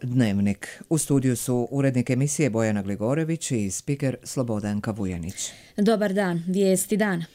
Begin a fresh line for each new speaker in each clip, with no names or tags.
Dnevnik. U studiju su urednik emisije Bojana Gligorević i spiker Slobodanka Vujanić.
Dobar dan, vijesti dana.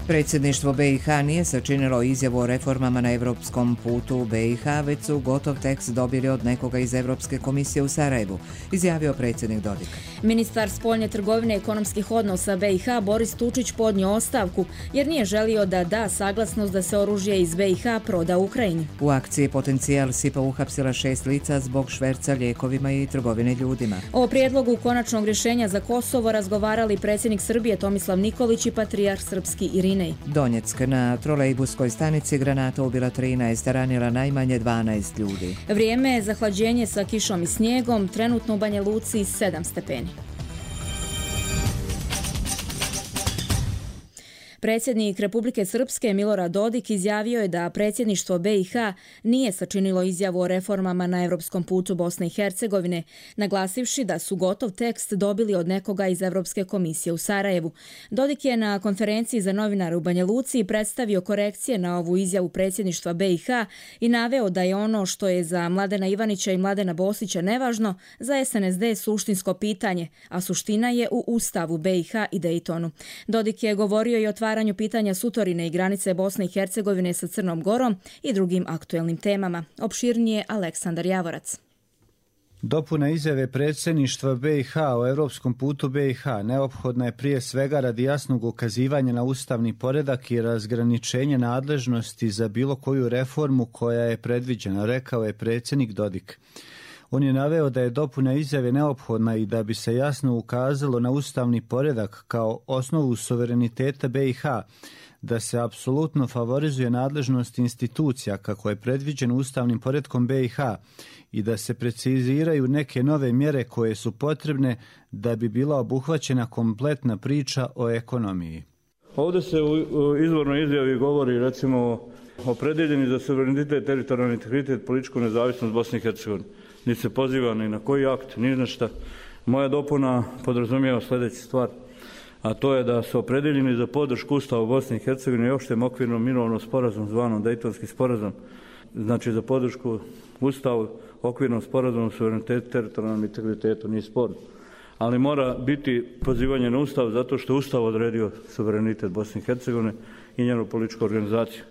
Predsjedništvo BiH nije sačinilo izjavu o reformama na europskom putu u BiH, već su gotov tekst dobili od nekoga iz Europske komisije u Sarajevu, izjavio predsjednik Dodik.
Ministar spoljne trgovine i ekonomskih odnosa BiH Boris Tučić podnio ostavku jer nije želio da da saglasnost da se oružje iz BiH proda Ukrajini.
U akciji Potencijal SIPA uhapsila 6 lica zbog šverca lijekovima i trgovine ljudima.
O prijedlogu konačnog rješenja za Kosovo razgovarali predsjednik Srbije Tomislav Nikolić i patrijarh srpski Irinej.
Donjeck. Na trolejbuskoj stanici granata ubila 13, ranila najmanje 12 ljudi.
Vrijeme je za hlađenje sa kišom i snijegom, trenutno u Banja Luci 7 stepeni. Predsjednik Republike Srpske Milorad Dodik izjavio je da predsjedništvo BiH nije sačinilo izjavu o reformama na europskom putu Bosne i Hercegovine, naglasivši da su gotov tekst dobili od nekoga iz Europske komisije u Sarajevu. Dodik je na konferenciji za novinare u Banja Luci predstavio korekcije na ovu izjavu predsjedništva BiH i naveo da je ono što je za Mladena Ivanića i Mladena Bosića nevažno, za SNSD suštinsko pitanje, a suština je u Ustavu BiH i Dejtonu. Dodik je govorio i o otvaranju pitanja sutorine i granice Bosne i Hercegovine sa Crnom Gorom i drugim aktuelnim temama. Opširnije Aleksandar Javorac.
Dopuna izjave predsjedništva BiH o europskom putu BiH neophodna je prije svega radi jasnog ukazivanja na ustavni poredak i razgraničenje nadležnosti za bilo koju reformu koja je predviđena, rekao je predsjednik Dodik. On je naveo da je dopuna izjave neophodna i da bi se jasno ukazalo na ustavni poredak kao osnovu suvereniteta BiH, da se apsolutno favorizuje nadležnost institucija kako je predviđeno ustavnim poretkom BiH i da se preciziraju neke nove mjere koje su potrebne da bi bila obuhvaćena kompletna priča o ekonomiji.
Ovdje se u izvornoj izjavi govori recimo o predviđenju za suverenitet, teritorijalni integritet, političku nezavisnost Bosne i Hercegovine. Ni se poziva ni na koji akt, ni na šta. Moja dopuna podrazumijeva sljedeću stvar, a to je da su opredeljeni za podršku Ustavu Bosne i Hercegovine i opštem okvirnom mirovnom sporazum zvanom Dejtonski sporazum, znači za podršku Ustavu, okvirnom sporazumu, suverenitetu, teritorijalnom integritetu, nije sporno. Ali mora biti pozivanje na Ustav zato što je Ustav odredio suverenitet Bosne i Hercegovine i njenu političku organizaciju.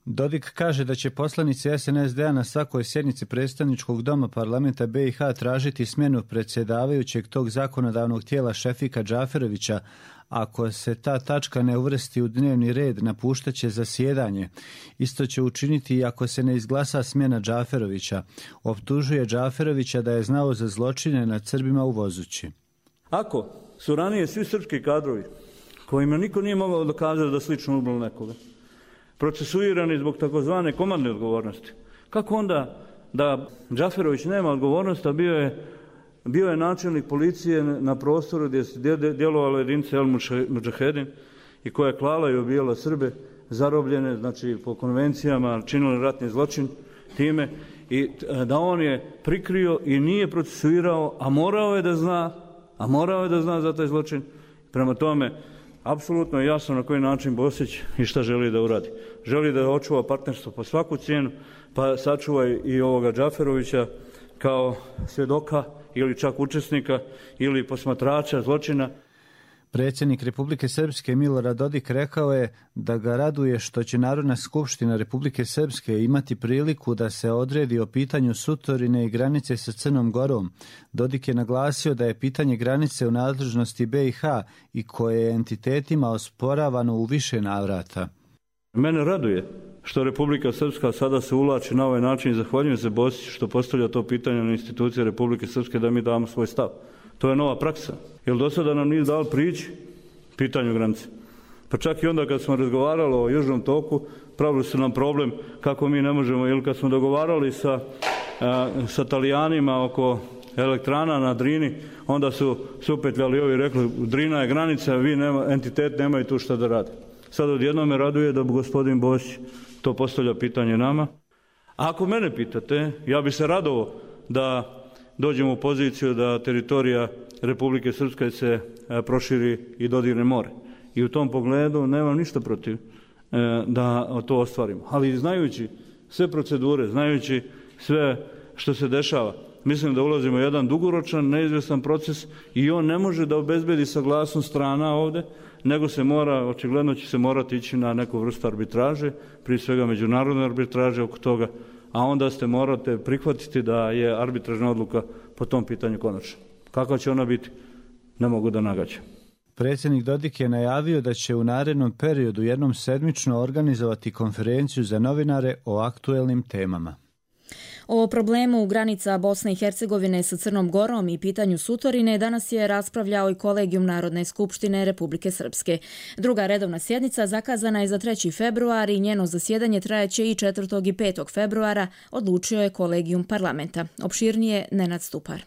Dodik kaže da će poslanici SNSD-a na svakoj sjednici predstavničkog doma parlamenta BiH tražiti smjenu predsjedavajućeg tog zakonodavnog tijela Šefika Džaferovića. Ako se ta tačka ne uvrsti u dnevni red, napuštaće zasjedanje. Isto će učiniti i ako se ne izglasa smjena Džaferovića. Optužuje Džaferovića da je znao za zločine nad Srbima u Vozući.
Ako su ranije svi srpski kadrovi, kojima niko nije mogao dokazati da slično ubilo nekoga, procesuirani zbog takozvane komandne odgovornosti, kako onda da Džaferović nema odgovornosti, a bio je načelnik policije na prostoru gdje se djelovala jedinica El Mudžahedin i koja je klala i ubijala Srbe, zarobljene, znači po konvencijama činili ratni zločin time, i da on je prikrio i nije procesuirao, a morao je da zna za taj zločin. Prema tome, apsolutno je jasno na koji način Bosić i šta želi da uradi. Želi da očuva partnerstvo po svaku cijenu, pa sačuva i ovoga Džaferovića kao svjedoka ili čak učesnika ili posmatrača zločina.
Predsjednik Republike Srpske Milorad Dodik rekao je da ga raduje što će Narodna skupština Republike Srpske imati priliku da se odredi o pitanju sutorine i granice sa Crnom Gorom. Dodik je naglasio da je pitanje granice u nadležnosti BiH i koje je entitetima osporavano u više navrata.
Mene raduje što Republika Srpska sada se uvlači na ovaj način i zahvaljujem se Bosiću što postavlja to pitanje na institucije Republike Srpske da mi damo svoj stav. To je nova praksa. Jer do sada nam nije dalo prići pitanju granice. Pa čak i onda kad smo razgovarali o Južnom toku, pravili su nam problem kako mi ne možemo, ili kad smo dogovarali sa Talijanima oko elektrana na Drini, onda su supetljali ovi i rekli Drina je granica, vi entitet nemaju tu šta da rade. Sad odjednom me raduje da gospodin Bosić to postavlja pitanje nama. A ako mene pitate, ja bi se radovao da dođemo u poziciju da teritorija Republike Srpske se proširi i dodirne more. I u tom pogledu nemam ništa protiv da to ostvarimo. Ali znajući sve procedure, znajući sve što se dešava, mislim da ulazimo u jedan dugoročan, neizvjestan proces i on ne može da obezbedi saglasnost strana ovdje, nego se mora, očigledno će se morati ići na neku vrstu arbitraže, prije svega međunarodne arbitraže oko toga, a onda morate prihvatiti da je arbitražna odluka po tom pitanju konačna. Kakva će ona biti, ne mogu da nagađam.
Predsjednik Dodik je najavio da će u narednom periodu jednom sedmično organizovati konferenciju za novinare o aktuelnim temama.
O problemu granica Bosne i Hercegovine sa Crnom Gorom i pitanju Sutorine danas je raspravljao i Kolegijum Narodne skupštine Republike Srpske. Druga redovna sjednica zakazana je za 3. februar i njeno zasjedanje trajeće i 4. i 5. februara, odlučio je Kolegijum parlamenta. Opširnije Nenad Stupar.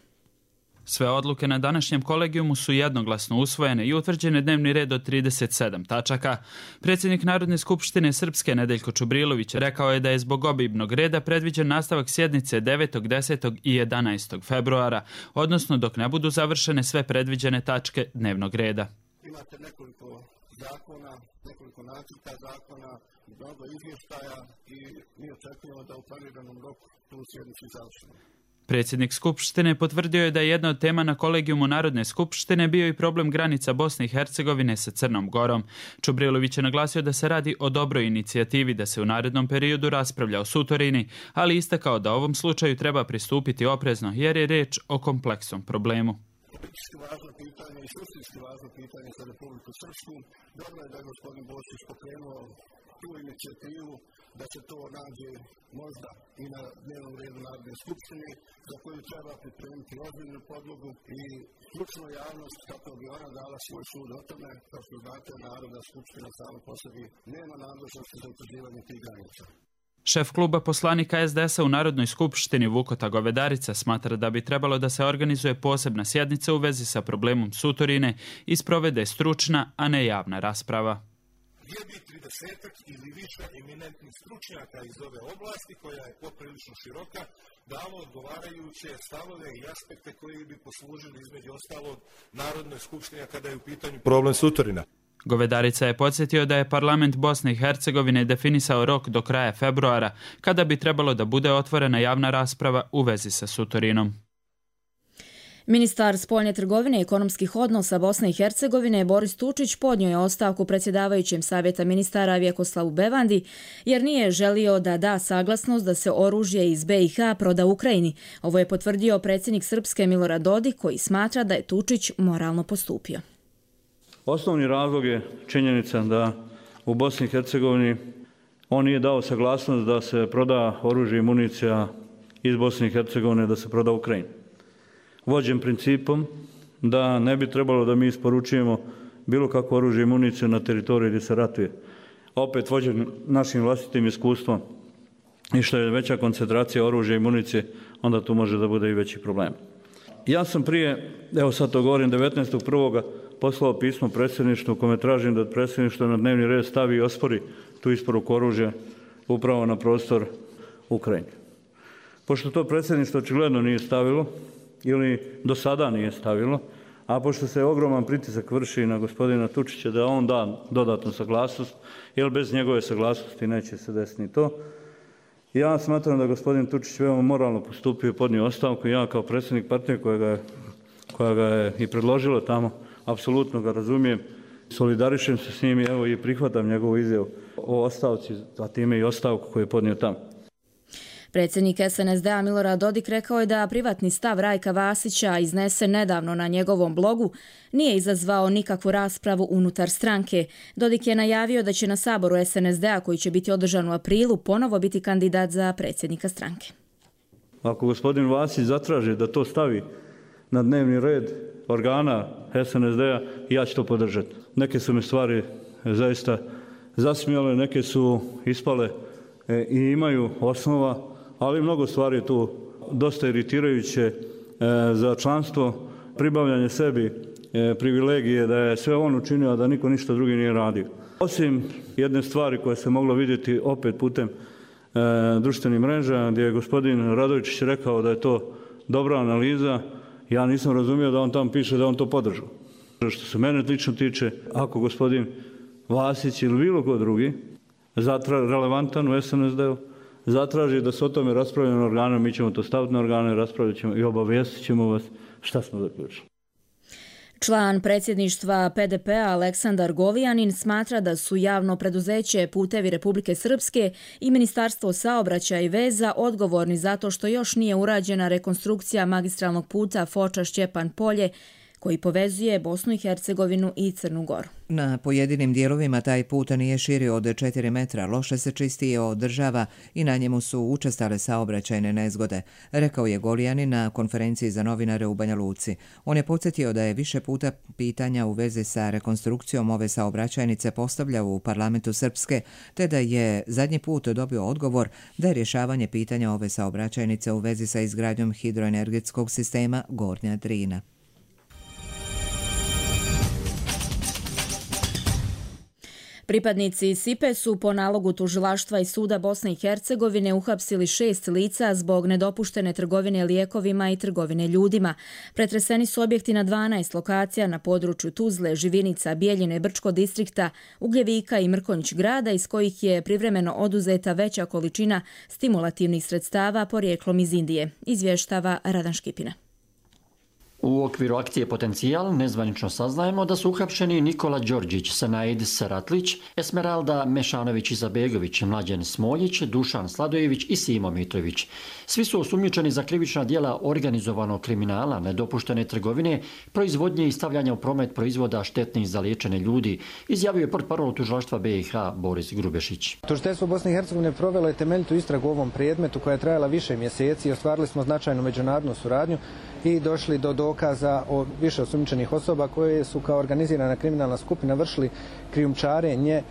Sve odluke na današnjem kolegijumu su jednoglasno usvojene i utvrđen je dnevni red od 37 tačaka. Predsjednik Narodne skupštine Srpske Nedeljko Čubrilović rekao je da je zbog obimnog reda predviđen nastavak sjednice 9., 10. i 11. februara, odnosno dok ne budu završene sve predviđene tačke dnevnog reda.
Imate nekoliko zakona, nekoliko nacrta zakona, mnogo izvještaja i mi očekujemo da u planiranom roku tu sjednicu završimo.
Predsjednik Skupštine potvrdio je da je jedna od tema na Kolegijumu Narodne skupštine bio i problem granica Bosne i Hercegovine sa Crnom Gorom. Čubrilović je naglasio da se radi o dobroj inicijativi da se u narednom periodu raspravlja o Sutorini, ali istakao da ovom slučaju treba pristupiti oprezno jer je riječ o kompleksnom problemu.
Politički važno pitanje i suštinski važno pitanje za Republiku Srpsku. Dobro je da je gospodin Bošić pokrenuo tu inicijativu da se to nađe možda i na dnevnom redu Narodne skupštine, za koju treba pripremiti ozbiljnu podlogu i stručnu javnost kako bi ona dala svoj sud o tome. Kao što znate, Narodna skupština sama po sebi nema nadležnosti za utvrđivanje tih granica.
Šef kluba poslanika SDS-a u Narodnoj skupštini Vukota Govedarica smatra da bi trebalo da se organizuje posebna sjednica u vezi sa problemom Sutorine i sprovede stručna, a ne javna rasprava.
Gdje bi 30 ili više eminentnih stručnjaka iz ove oblasti, koja je poprilično široka, dalo odgovarajuće stavove i aspekte koji bi poslužili između ostalog Narodnoj skupštini kada je u pitanju problem Sutorina.
Govedarica je podsjetio da je parlament Bosne i Hercegovine definisao rok do kraja februara, kada bi trebalo da bude otvorena javna rasprava u vezi sa Sutorinom.
Ministar spoljne trgovine i ekonomskih odnosa Bosne i Hercegovine Boris Tučić podnio je ostavku predsjedavajućem Savjeta ministara Vjekoslavu Bevandi jer nije želio da da saglasnost da se oružje iz BiH proda Ukrajini. Ovo je potvrdio predsjednik Srpske Milorad Dodik koji smatra da je Tučić moralno postupio.
Osnovni razlog je činjenica da u Bosni i Hercegovini on nije dao saglasnost da se proda oružje i municija iz Bosne i Hercegovine, da se proda Ukrajini. Vođen principom da ne bi trebalo da mi isporučujemo bilo kakvo oružje i municiju na teritoriji gdje se ratuje. Opet vođen našim vlastitim iskustvom i što je veća koncentracija oružja i municije, onda tu može da bude i veći problem. Ja sam prije, evo sad to govorim, 19.1. poslao pismo predsjedništvu u kome tražim da predsjedništvo na dnevni red stavi i ospori tu isporuku oružja upravo na prostor Ukrajine. Pošto to predsjedništvo očigledno nije stavilo, ili do sada nije stavilo, a pošto se ogroman pritisak vrši na gospodina Tučića da on da dodatnu saglasnost, jer bez njegove saglasnosti neće se desiti ni to. Ja smatram da gospodin Tučić veoma moralno postupio i podnio ostavku. Ja kao predsjednik partije koja ga je i predložila tamo, apsolutno ga razumijem, solidarišem se s njim i evo i prihvatam njegovu izjavu o ostavci, a time i ostavku koju je podnio tamo.
Predsjednik SNSD-a Milorad Dodik rekao je da privatni stav Rajka Vasića iznesen nedavno na njegovom blogu nije izazvao nikakvu raspravu unutar stranke. Dodik je najavio da će na saboru SNSD-a koji će biti održan u aprilu ponovo biti kandidat za predsjednika stranke.
Ako gospodin Vasić zatraži da to stavi na dnevni red organa SNSD-a, ja ću to podržati. Neke su me stvari zaista zasmijale, neke su ispale i imaju osnova, ali mnogo stvari je tu dosta iritirajuće za članstvo, pribavljanje sebi privilegije da je sve on učinio, a da niko ništa drugi nije radio. Osim jedne stvari koje se moglo vidjeti opet putem društvenih mreža, gdje je gospodin Radovičić rekao da je to dobra analiza, ja nisam razumio da on tamo piše da on to podržao. Što se mene lično tiče, ako gospodin Vasić ili bilo ko drugi relevantan u SNSD-u, zatraži da se o tome raspravlja na organu, mi ćemo to staviti na organe, raspravljat ćemo i obavijestit ćemo vas šta smo zaključili.
Član predsjedništva PDP-a Aleksandar Govijanin smatra da su javno preduzeće Putevi Republike Srpske i Ministarstvo saobraćaja i veza odgovorni zato što još nije urađena rekonstrukcija magistralnog puta Foča-Šćepan Polje koji povezuje Bosnu i Hercegovinu i Crnu Goru.
Na pojedinim dijelovima taj put nije širi od 4 metra, loše se čisti i održava i na njemu su učestale saobraćajne nezgode, rekao je Golijanin na konferenciji za novinare u Banja Luci. On je podsjetio da je više puta pitanja u vezi sa rekonstrukcijom ove saobraćajnice postavljao u parlamentu Srpske, te da je zadnji put dobio odgovor da je rješavanje pitanja ove saobraćajnice u vezi sa izgradnjom hidroenergetskog sistema Gornja Drina.
Pripadnici SIPE su po nalogu tužilaštva i suda Bosne i Hercegovine uhapsili 6 lica zbog nedopuštene trgovine lijekovima i trgovine ljudima. Pretreseni su objekti na 12 lokacija na području Tuzle, Živinica, Bijeljine, Brčko distrikta, Ugljevika i Mrkonjić grada, iz kojih je privremeno oduzeta veća količina stimulativnih sredstava porijeklom iz Indije, izvještava Radan Škipina.
U okviru akcije Potencijal nezvanično saznajemo da su uhapšeni Nikola Đorđić, Sanaid Saratlić, Esmeralda Mešanović-Izabegović, Mlađen Smoljić, Dušan Sladojević i Simo Mitrović. Svi su osumnjičeni za krivična djela organizovanog kriminala, nedopuštene trgovine, proizvodnje i stavljanja u promet proizvoda štetnih za liječene ljudi, izjavio je portparol tužilaštva BiH Boris Grubešić.
Tužiteljstvo Bosne i Hercegovine provelo je temeljitu istragu u ovom predmetu koja je trajala više mjeseci i ostvarili smo značajnu međunarodnu suradnju i došli do dokaza o više osumnjičenih osoba koje su kao organizirana kriminalna skupina vršili krijumčarenje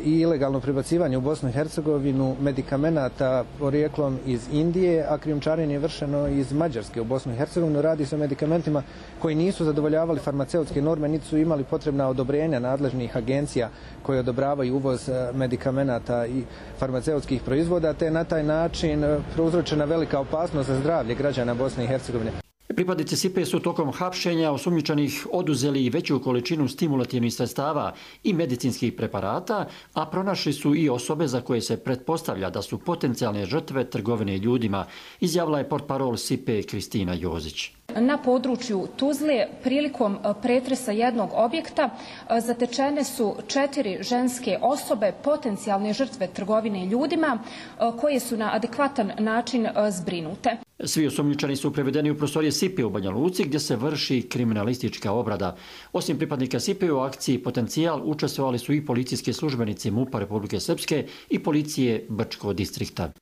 i ilegalno prebacivanje u Bosnu i Hercegovinu medikamenata porijeklom iz Indije, a krijumčarenje je vršeno iz Mađarske u Bosnu i Hercegovinu. Radi se o medikamentima koji nisu zadovoljavali farmaceutske norme, niti su imali potrebna odobrenja nadležnih agencija koje odobravaju uvoz medikamenata i farmaceutskih proizvoda, te na taj način prouzročena velika opasnost za zdravlje građana Bosne i Hercegovine.
Pripadnici SIPE su tokom hapšenja osumnjičenih oduzeli veću količinu stimulativnih sredstava i medicinskih preparata, a pronašli su i osobe za koje se pretpostavlja da su potencijalne žrtve trgovine ljudima, izjavila je portparol SIPE Kristina Jozić.
Na području Tuzle prilikom pretresa jednog objekta zatečene su 4 ženske osobe, potencijalne žrtve trgovine ljudima, koje su na adekvatan način zbrinute.
Svi osumnjičeni su prevedeni u prostorije SIPE u Banja Luci gdje se vrši kriminalistička obrada. Osim pripadnika SIPE u akciji Potencijal učestvovali su i policijski službenici MUP-a Republike Srpske i policije Brčko distrikta.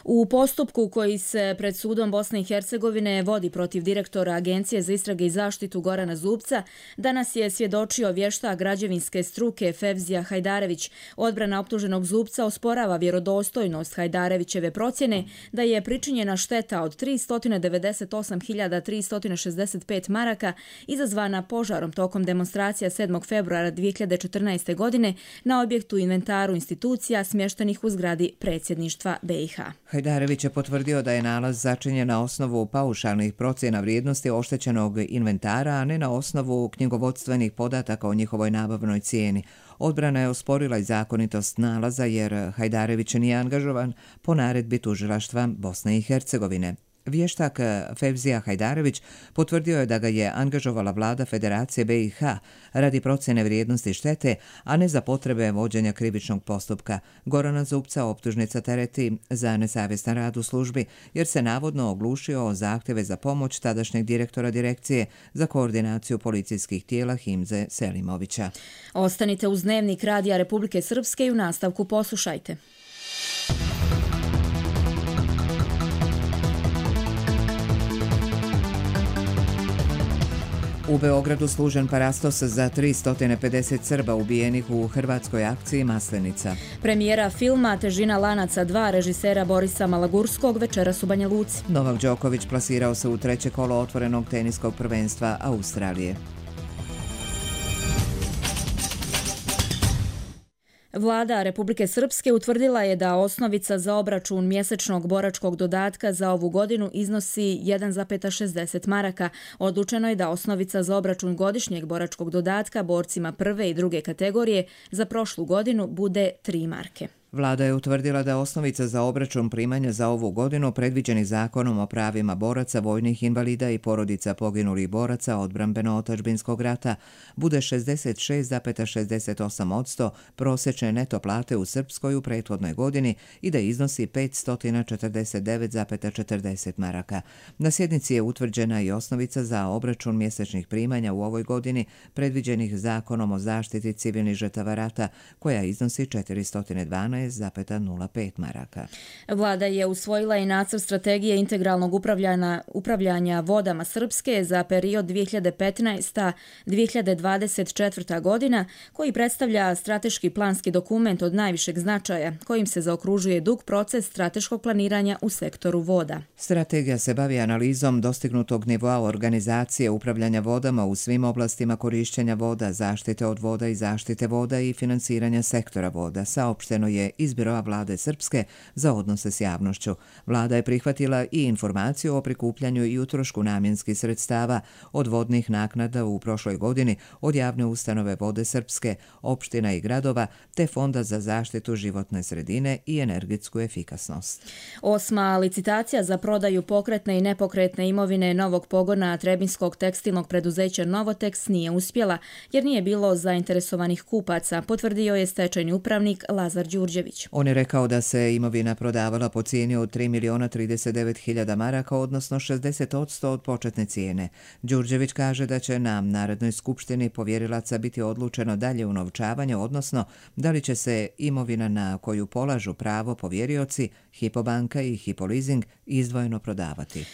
U postupku koji se pred sudom Bosne i Hercegovine vodi protiv direktora Agencije za istrage i zaštitu Gorana Zubca, danas je svjedočio vještak građevinske struke Fevzija Hajdarević. Odbrana optuženog Zubca osporava vjerodostojnost Hajdarevićeve procjene da je pričinjena šteta od 398.365 maraka izazvana požarom tokom demonstracija 7. februara 2014. godine na objektu inventaru institucija smještenih u zgradi predsjedništva BiH.
Hajdarević je potvrdio da je nalaz začinjen na osnovu paušalnih procjena vrijednosti oštećenog inventara, a ne na osnovu knjigovodstvenih podataka o njihovoj nabavnoj cijeni. Odbrana je osporila i zakonitost nalaza jer Hajdarević nije angažovan po naredbi tužilaštva Bosne i Hercegovine. Vještak Fevzija Hajdarević potvrdio je da ga je angažovala vlada Federacije BiH radi procjene vrijednosti štete, a ne za potrebe vođenja krivičnog postupka. Gorana Zubca optužnica tereti za nesavjestan rad u službi jer se navodno oglušio o zahtjeve za pomoć tadašnjeg direktora Direkcije za koordinaciju policijskih tijela Himze Selimovića.
Ostanite uz Dnevnik Radija Republike Srpske i u nastavku poslušajte.
U Beogradu služen parastos za 350 Srba ubijenih u hrvatskoj akciji Maslenica.
Premijera filma Težina lanaca 2 režisera Borisa Malagurskog večeras u Banja Luci.
Novak Đoković plasirao se u 3. kolo otvorenog teniskog prvenstva Australije.
Vlada Republike Srpske utvrdila je da osnovica za obračun mjesečnog boračkog dodatka za ovu godinu iznosi 1,60 maraka. Odlučeno je da osnovica za obračun godišnjeg boračkog dodatka borcima prve i druge kategorije za prošlu godinu bude 3 marke.
Vlada je utvrdila da osnovica za obračun primanja za ovu godinu predviđenih Zakonom o pravima boraca, vojnih invalida i porodica poginulih boraca odbrambeno-otadžbinskog rata bude 66,68% prosječne neto plate u Srpskoj u prethodnoj godini i da iznosi 549,40 maraka. Na sjednici je utvrđena i osnovica za obračun mjesečnih primanja u ovoj godini predviđenih Zakonom o zaštiti civilnih žrtava rata, koja iznosi 412,05 maraka.
Vlada je usvojila i nacrt strategije integralnog upravljanja vodama Srpske za period 2015-2024. godina, koji predstavlja strateški planski dokument od najvišeg značaja, kojim se zaokružuje dug proces strateškog planiranja u sektoru voda.
Strategija se bavi analizom dostignutog nivoa organizacije upravljanja vodama u svim oblastima korišćenja voda, zaštite od voda i zaštite voda i finansiranja sektora voda, saopšteno je iz Biroa Vlade Srpske za odnose s javnošću. Vlada je prihvatila i informaciju o prikupljanju i utrošku namjenskih sredstava od vodnih naknada u prošloj godini od javne ustanove Vode Srpske, opština i gradova, te Fonda za zaštitu životne sredine i energetsku efikasnost.
8. licitacija za prodaju pokretne i nepokretne imovine novog pogona Trebinskog tekstilnog preduzeća Novoteks nije uspjela jer nije bilo zainteresovanih kupaca, potvrdio je stečajni upravnik Lazar Đurđević.
On je rekao da se imovina prodavala po cijeni od 3.039.000 maraka, odnosno 60% od početne cijene. Đurđević kaže da će na Narodnoj skupštini povjerilaca biti odlučeno dalje unovčavanje, odnosno da li će se imovina na koju polažu pravo povjerioci, Hypo banka i Hypo leasing izdvojeno prodavati.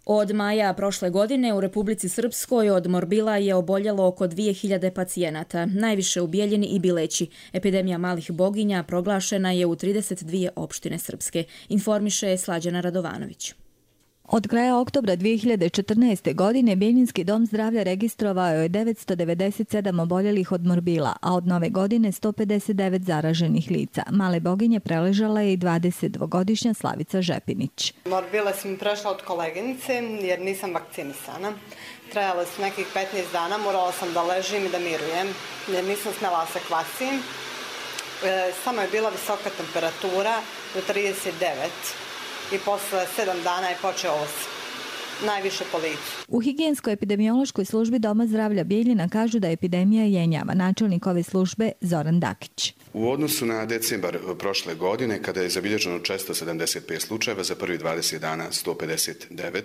Od maja prošle godine u Republici Srpskoj od morbila je oboljelo oko 2000 pacijenata, najviše u Bijeljini i Bileći. Epidemija malih boginja proglašena je u 32 opštine Srpske, informiše Slađana Radovanović.
Od kraja oktobra 2014. godine Bijeljinski dom zdravlja registrovao je 997 oboljelih od morbila, a od nove godine 159 zaraženih lica. Male boginje preležala je i 22-godišnja Slavica Žepinić.
Morbile sam prešla od koleginice jer nisam vakcinisana. Trajale su nekih 15 dana, morala sam da ležim i da mirujem jer nisam smjela se kvasim. Samo je bila visoka temperatura do 39. I posle 7 dana je počeo najviše po licu.
U higijensko-epidemiološkoj službi Doma zdravlja Bijeljina kažu da epidemija jenjava. Načelnik ove službe Zoran Dakić.
U odnosu na decembar prošle godine, kada je zabilježeno 475 slučajeva, za prvi 20 dana 159,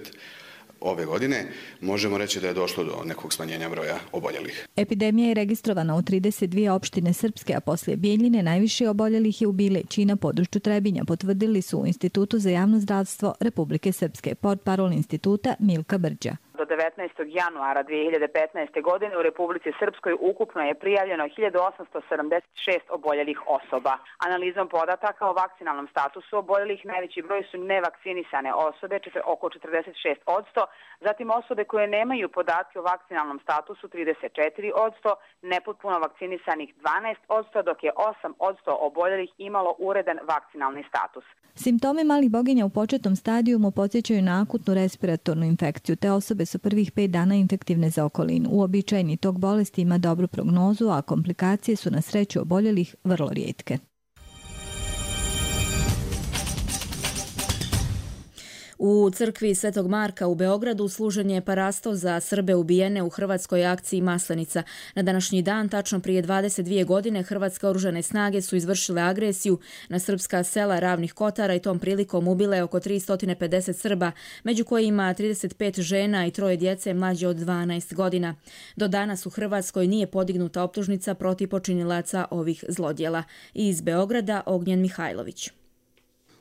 ove godine možemo reći da je došlo do nekog smanjenja broja oboljelih.
Epidemija je registrovana u 32 opštine Srpske, a poslije Bijeljine najviše oboljelih je u Bileći i na području Trebinja, potvrdili su u Institutu za javno zdravstvo Republike Srpske, portparol instituta Milka Brđa.
Do 19. januara 2015. godine u Republici Srpskoj ukupno je prijavljeno 1876 oboljelih osoba. Analizom podataka o vakcinalnom statusu oboljelih najveći broj su nevakcinisane osobe, oko 46%, zatim osobe koje nemaju podatke o vakcinalnom statusu 34%, nepotpuno vakcinisanih 12%, dok je 8% oboljelih imalo uredan vakcinalni status.
Simptomi malih boginja u početnom stadijumu podsjećaju na akutnu respiratornu infekciju. Te osobe su prvih 5 dana infektivne za okolinu. Uobičajeni tok bolesti ima dobru prognozu, a komplikacije su na sreću oboljelih vrlo rijetke.
U crkvi Svetog Marka u Beogradu služen je parasto za Srbe ubijene u hrvatskoj akciji Maslenica. Na današnji dan, tačno prije 22 godine, hrvatske oružane snage su izvršile agresiju na srpska sela Ravnih Kotara i tom prilikom ubile oko 350 Srba, među kojima 35 žena i 3 djece mlađe od 12 godina. Do danas u Hrvatskoj nije podignuta optužnica protiv počinilaca ovih zlodjela. Iz Beograda Ognjen Mihajlović.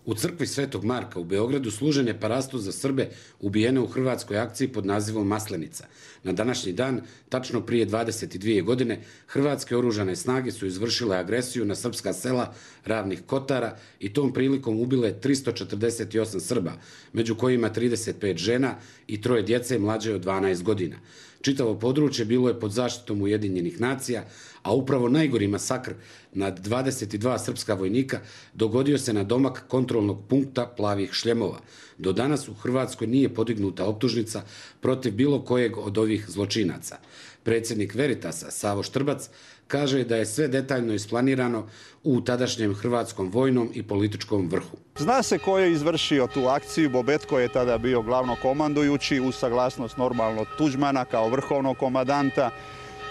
U crkvi Svetog Marka u Beogradu služen je parasto za Srbe ubijene u hrvatskoj akciji pod nazivom Maslenica. Na današnji dan, tačno prije 22 godine, hrvatske oružane snage su izvršile agresiju na srpska sela Ravnih Kotara i tom prilikom ubile 348 Srba, među kojima 35 žena i 3 djece mlađe od 12 godina. Čitavo područje bilo je pod zaštitom Ujedinjenih nacija, a upravo najgori masakr nad 22 srpska vojnika dogodio se na domak kontrolnog punkta Plavih šljemova. Do danas u Hrvatskoj nije podignuta optužnica protiv bilo kojeg od ovih zločinaca. Predsjednik Veritasa, Savo Štrbac, kaže da je sve detaljno isplanirano u tadašnjem hrvatskom vojnom i političkom vrhu.
Zna se ko je izvršio tu akciju. Bobetko je tada bio glavnokomandujući uz saglasnost normalno Tuđmana kao vrhovnog komandanta.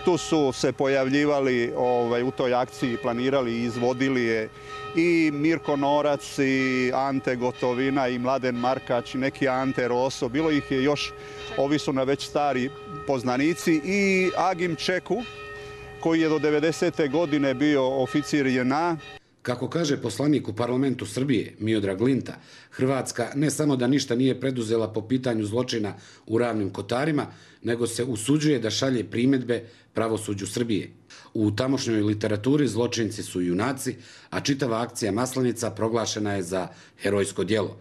Tu su se pojavljivali u toj akciji, planirali i izvodili je i Mirko Norac i Ante Gotovina i Mladen Markač i neki Ante Roso. Bilo ih je još, ovi su na već stari poznanici, i Agim Čeku koji je do 90. godine bio oficir JNA.
Kako kaže poslanik u parlamentu Srbije, Miodrag Linta, Hrvatska ne samo da ništa nije preduzela po pitanju zločina u Ravnim Kotarima, nego se usuđuje da šalje primjedbe pravosuđu Srbije. U tamošnjoj literaturi zločinci su junaci, a čitava akcija Maslenica proglašena je za herojsko djelo.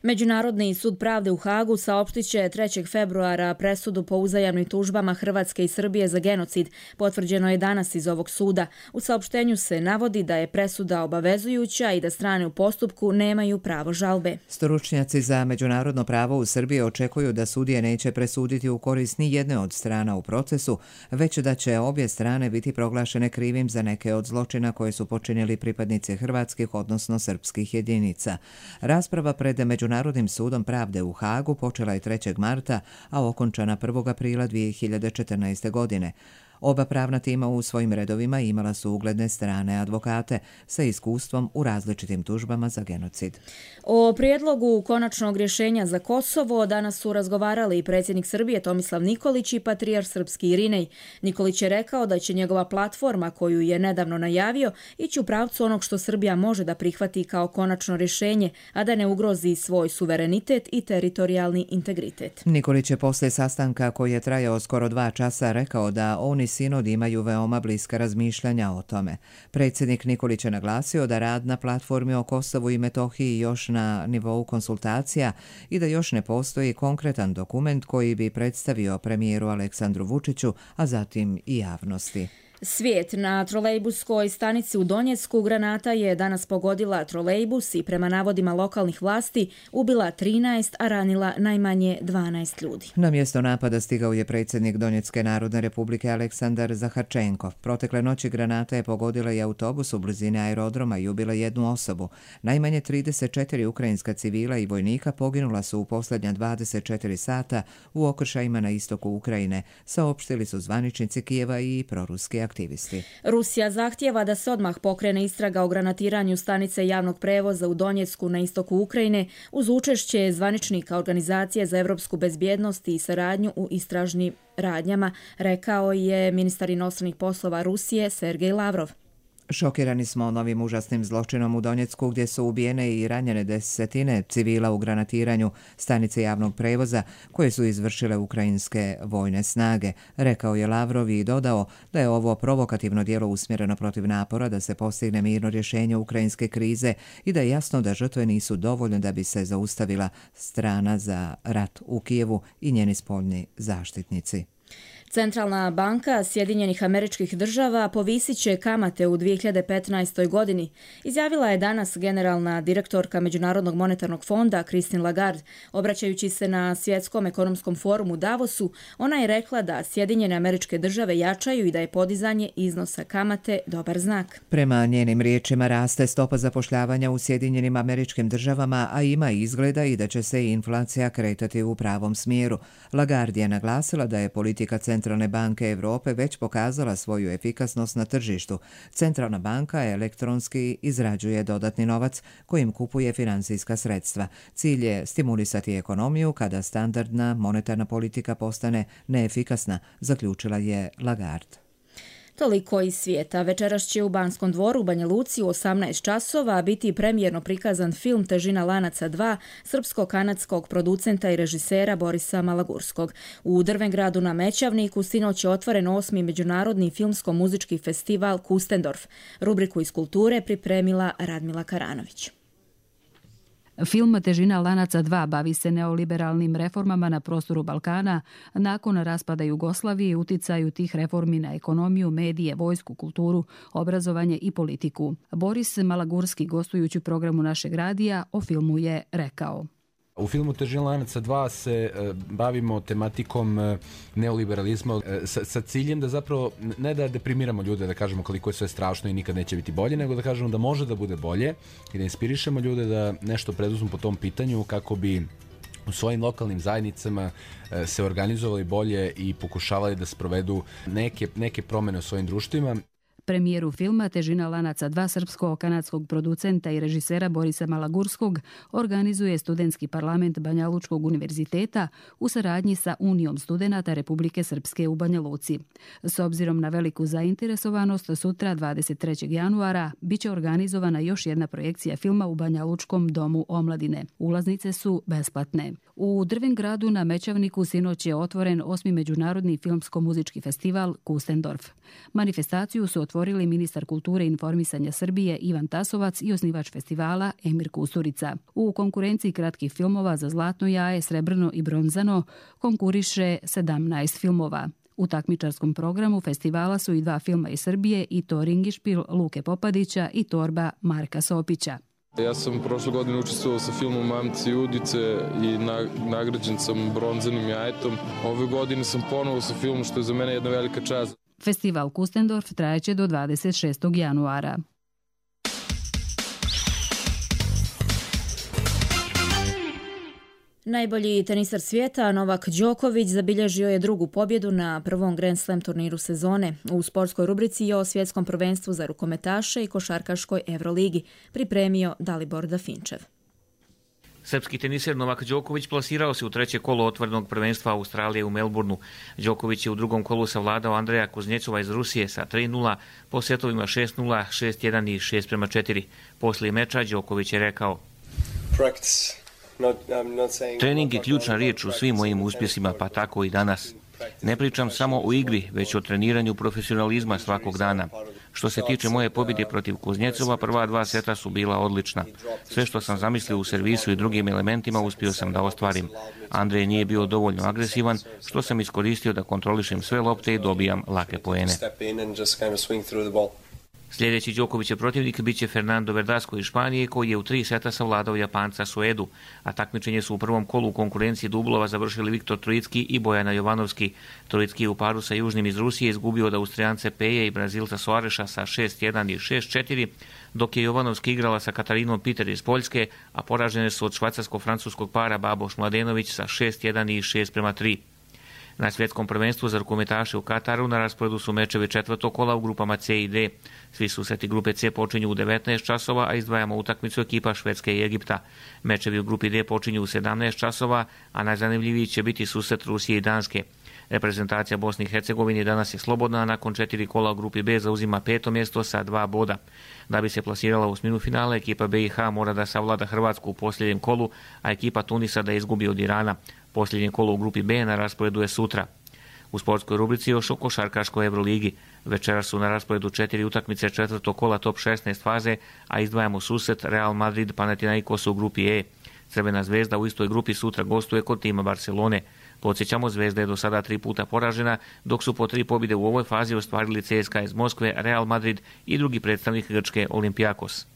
Međunarodni sud pravde u Hagu saopštit će 3. februara presudu po uzajamnim tužbama Hrvatske i Srbije za genocid. Potvrđeno je danas iz ovog suda. U saopštenju se navodi da je presuda obavezujuća i da strane u postupku nemaju pravo žalbe.
Stručnjaci za međunarodno pravo u Srbiji očekuju da sudije neće presuditi u korist ni jedne od strana u procesu, već da će obje strane biti proglašene krivim za neke od zločina koje su počinili pripadnici hrvatskih, odnosno srpskih jedinica. Rasprava pred Međunarodnim sudom pravde u Hagu počela je 3. marta, a okončana 1. aprila 2014. godine. Oba pravna tima u svojim redovima imala su ugledne strane advokate sa iskustvom u različitim tužbama za genocid.
O prijedlogu konačnog rješenja za Kosovo danas su razgovarali i predsjednik Srbije Tomislav Nikolić i patrijarh srpski Irinej. Nikolić je rekao da će njegova platforma, koju je nedavno najavio, ići u pravcu onog što Srbija može da prihvati kao konačno rješenje, a da ne ugrozi svoj suverenitet i teritorijalni integritet.
Nikolić je posle sastanka koji je trajao skoro 2 časa rekao da oni sinod imaju veoma bliska razmišljanja o tome. Predsjednik Nikolić je naglasio da rad na platformi o Kosovu i Metohiji još na nivou konsultacija i da još ne postoji konkretan dokument koji bi predstavio premijeru Aleksandru Vučiću, a zatim i javnosti.
Svijet. Na trolejbuskoj stanici u Donjecku granata je danas pogodila trolejbus i prema navodima lokalnih vlasti ubila 13, a ranila najmanje 12 ljudi.
Na mjesto napada stigao je predsjednik Donjecke Narodne Republike Aleksandar Zaharčenkov. Protekle noći granata je pogodila i autobus u blizini aerodroma i ubila jednu osobu. Najmanje 34 ukrajinska civila i vojnika poginula su u posljednja 24 sata u okršajima na istoku Ukrajine, saopštili su zvaničnici Kijeva i proruski aktivisti.
Rusija zahtjeva da se odmah pokrene istraga o granatiranju stanice javnog prevoza u Donjecku na istoku Ukrajine uz učešće zvaničnika Organizacije za evropsku bezbjednost i saradnju u istražnim radnjama, rekao je ministar inostranih poslova Rusije Sergej Lavrov.
Šokirani smo novim užasnim zločinom u Donjecku gdje su ubijene i ranjene desetine civila u granatiranju stanice javnog prevoza koje su izvršile ukrajinske vojne snage, rekao je Lavrov i dodao da je ovo provokativno djelo usmjereno protiv napora da se postigne mirno rješenje ukrajinske krize i da je jasno da žrtve nisu dovoljne da bi se zaustavila strana za rat u Kijevu i njeni spoljni zaštitnici.
Centralna banka Sjedinjenih Američkih Država povisit će kamate u 2015. godini, izjavila je danas generalna direktorka Međunarodnog monetarnog fonda Christine Lagarde. Obraćajući se na Svjetskom ekonomskom forumu Davosu, ona je rekla da Sjedinjene Američke Države jačaju i da je podizanje iznosa kamate dobar znak.
Prema njenim riječima raste stopa zapošljavanja u Sjedinjenim Američkim Državama, a ima izgleda i da će se inflacija kretati u pravom smjeru. Lagarde je naglasila da je politika Centralne banke Europe već pokazala svoju efikasnost na tržištu. Centralna banka elektronski izrađuje dodatni novac kojim kupuje financijska sredstva. Cilj je stimulisati ekonomiju kada standardna monetarna politika postane neefikasna, zaključila je Lagarde.
Toliko iz svijeta. Večeras će u Banskom dvoru u Banja Luci u 18 časova biti premijerno prikazan film Težina lanaca 2 srpsko-kanadskog producenta i režisera Borisa Malagurskog. U Drvengradu na Mećavniku sinoć je otvoren 8. međunarodni filmsko-muzički festival Kustendorf. Rubriku iz kulture pripremila Radmila Karanović.
Film Težina lanaca 2 bavi se neoliberalnim reformama na prostoru Balkana nakon raspada Jugoslavije i uticaju tih reformi na ekonomiju, medije, vojsku, kulturu, obrazovanje i politiku. Boris Malagurski, gostujući u programu našeg radija, o filmu je rekao:
U filmu Težina lanaca 2 se bavimo tematikom neoliberalizma sa ciljem da zapravo ne da deprimiramo ljude, da kažemo koliko je sve strašno i nikad neće biti bolje, nego da kažemo da može da bude bolje i da inspirišemo ljude da nešto preduzmu po tom pitanju kako bi u svojim lokalnim zajednicama se organizovali bolje i pokušavali da sprovedu neke promene u svojim društvima.
Premijeru filma Težina lanaca 2 srpsko-kanadskog producenta i režisera Borisa Malagurskog organizuje Studentski parlament Banja Lučkog univerziteta u saradnji sa Unijom studenata Republike Srpske u Banja Luci. S obzirom na veliku zainteresovanost, sutra 23. januara biće organizovana još jedna projekcija filma u Banja Lučkom domu omladine. Ulaznice su besplatne. U Drvengradu na Mećavniku sinoć je otvoren 8. međunarodni filmsko-muzički festival Kustendorf. Manifestaciju su otvorili ministar kulture i informisanja Srbije Ivan Tasovac i osnivač festivala Emir Kusturica. U konkurenciji kratkih filmova za Zlatno jaje, Srebrno i Bronzano konkuriše 17 filmova. U takmičarskom programu festivala su i 2 filma iz Srbije, i to Ringišpil Luke Popadića i Torba Marka Sopića.
Ja sam prošle godine učestvovao sa filmom Mamci i Udice i nagrađen sam bronzanim jajetom. Ove godine sam ponovo sa filmom, što je za mene jedna velika čast.
Festival Kustendorf trajeće do 26. januara.
Najbolji tenisar svijeta Novak Đoković zabilježio je drugu pobjedu na prvom Grand Slam turniru sezone. U sportskoj rubrici je o svjetskom prvenstvu za rukometaše i košarkaškoj Euroligi pripremio Dalibor Dafinčev.
Srpski teniser Novak Đoković plasirao se u treće kolo otvorenog prvenstva Australije u Melbourneu. Đoković je u drugom kolu savladao Andreja Kuznjecova iz Rusije sa 3:0 po setovima 6:0, 6:1 i 6:4. Poslije meča Đoković je rekao: Trening je ključna riječ u svim mojim uspjesima, pa tako i danas. Ne pričam samo o igri, već o treniranju profesionalizma svakog dana. Što se tiče moje pobjede protiv Kuznjecova, prva 2 seta su bila odlična. Sve što sam zamislio u servisu i drugim elementima uspio sam da ostvarim. Andrej nije bio dovoljno agresivan, što sam iskoristio da kontrolišem sve lopte i dobijam lake poene. Sljedeći Đokovićev protivnik biće Fernando Verdasco iz Španije, koji je u 3 seta savladao Japanca Suedu, a takmičenje su u prvom kolu u konkurenciji dublova završili Viktor Trojicki i Bojana Jovanovski. Trojicki u paru sa južnim iz Rusije izgubio od Austrijance Peje i Brazilca Soareša sa 6:1 i 6:4, dok je Jovanovski igrala sa Katarinom Peter iz Poljske, a poražene su od švajcarsko-francuskog para Baboš Mladenović sa 6:1 i 6:3. Na svjetskom prvenstvu za rukometaše u Kataru na rasporedu su mečevi četvrtog kola u grupama C i D. Svi susreti grupe C počinju u 19 časova, a izdvajamo utakmicu ekipa Švedske i Egipta. Mečevi u grupi D počinju u 17 časova, a najzanimljiviji će biti susret Rusije i Danske. Reprezentacija Bosne i Hercegovine danas je slobodna, a nakon 4 kola u grupi B zauzima 5. mjesto sa 2 boda. Da bi se plasirala u osminu finale, ekipa BiH mora da savlada Hrvatsku u posljednjem kolu, a ekipa Tunisa da izgubi od Irana. Posljednje kolo u grupi B na rasporedu je sutra. U sportskoj rubrici još o košarkaškoj Euroligi. Večera su na rasporedu 4 utakmice četvrtog kola top 16 faze, a izdvajamo susret Real Madrid Panathinaikos u grupi E. Crvena zvezda u istoj grupi sutra gostuje kod tima Barcelone. Podsjećamo, Zvezda je do sada 3 puta poražena, dok su po 3 pobjede u ovoj fazi ostvarili CSKA iz Moskve, Real Madrid i drugi predstavnik Grčke Olympiakos.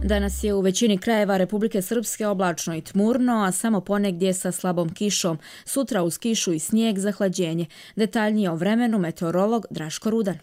Danas je u većini krajeva Republike Srpske oblačno i tmurno, a samo ponegdje sa slabom kišom. Sutra uz kišu i snijeg zahlađenje. Detaljnije o vremenu meteorolog Draško Rudan.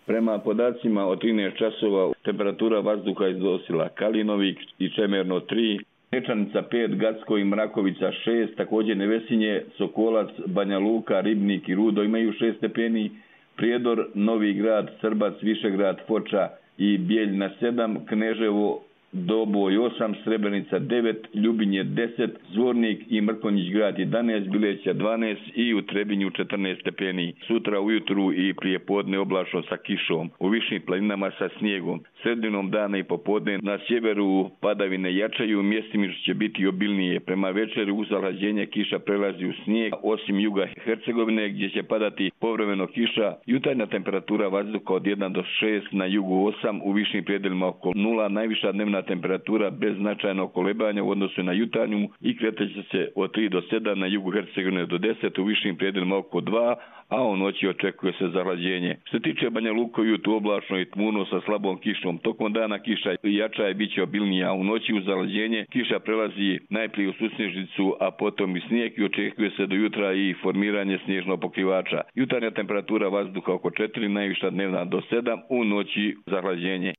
Prema podacima od 13 časova temperatura vazduha iznosila Kalinovik i Čemerno 3, Nečanica 5, Gacko i Mrakovica 6, također Nevesinje, Sokolac, Banja Luka, Ribnik i Rudo imaju 6 stepeni, Prijedor, Novi Grad, Srbac, Višegrad, Foča i Bijeljna 7, Kneževo Doboj 8, Srebrenica 9, Ljubinje 10, Zvornik i Mrkonjić grad 11, Bileća 12 i u Trebinju 14 stepeni. Sutra ujutru i prije podne oblačno sa kišom, u višim planinama sa snijegom. Sredinom dana i popodne na sjeveru padavine jačaju, mjestimično će biti obilnije. Prema večeru uz zalađenje kiša prelazi u snijeg, osim juga Hercegovine gdje će padati povremeno kiša. Jutarnja temperatura vazduha od 1 do 6, na jugu 8, u višim predelima oko 0, najviša dnevna temperatura bez značajnog kolebanja u odnosu na jutarnju i kreće se od 3 do 7, na jugu Hercegovine do 10, u višim predelima oko 2, a u noći očekuje se zahlađenje. Što se tiče Banja Luka, ujutru oblačno i tmurno sa slabom kišom. Tokom dana kiša jača i bit će obilnija, a u noći uz zahlađenje kiša prelazi najprije u susnježnicu, a potom i snijeg i očekuje se do jutra i formiranje snježnog pokrivača. Jutarnja temperatura vazduha oko 4, najviša dnevna do 7, u noći zahlađenje.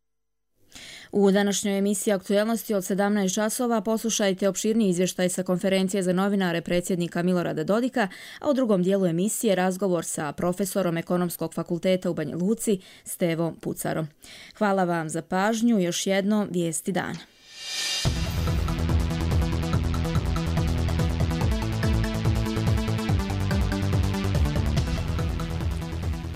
U današnjoj emisiji Aktuelnosti od 17 časova poslušajte opširni izvještaj sa konferencije za novinare predsjednika Milorada Dodika, a u drugom dijelu emisije razgovor sa profesorom Ekonomskog fakulteta u Banja Luci Stevom Pucarom. Hvala vam za pažnju, još jedno vijesti dana.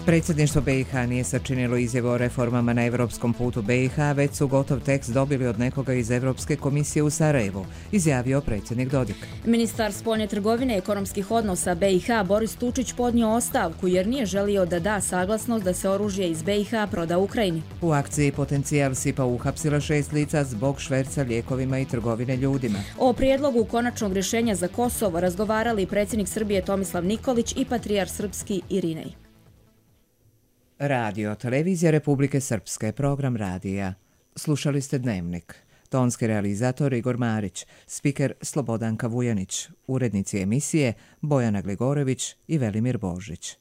Predsjedništvo BiH nije sačinilo izjavu o reformama na evropskom putu BiH, već su gotov tekst dobili od nekoga iz Evropske komisije u Sarajevu, izjavio predsjednik Dodik.
Ministar spoljne trgovine i ekonomskih odnosa BiH Boris Tučić podnio ostavku jer nije želio da da saglasnost da se oružje iz BiH proda Ukrajini.
U akciji Potencijal SIPA uhapsila 6 lica zbog šverca lijekovima i trgovine ljudima.
O prijedlogu konačnog rješenja za Kosovo razgovarali predsjednik Srbije Tomislav Nikolić i patrijar srpski Irinej.
Radio, televizija Republike Srpske, program radija. Slušali ste Dnevnik. Tonski realizator Igor Marić, spiker Slobodanka Vujanić, urednici emisije Bojana Gligorević i Velimir Božić.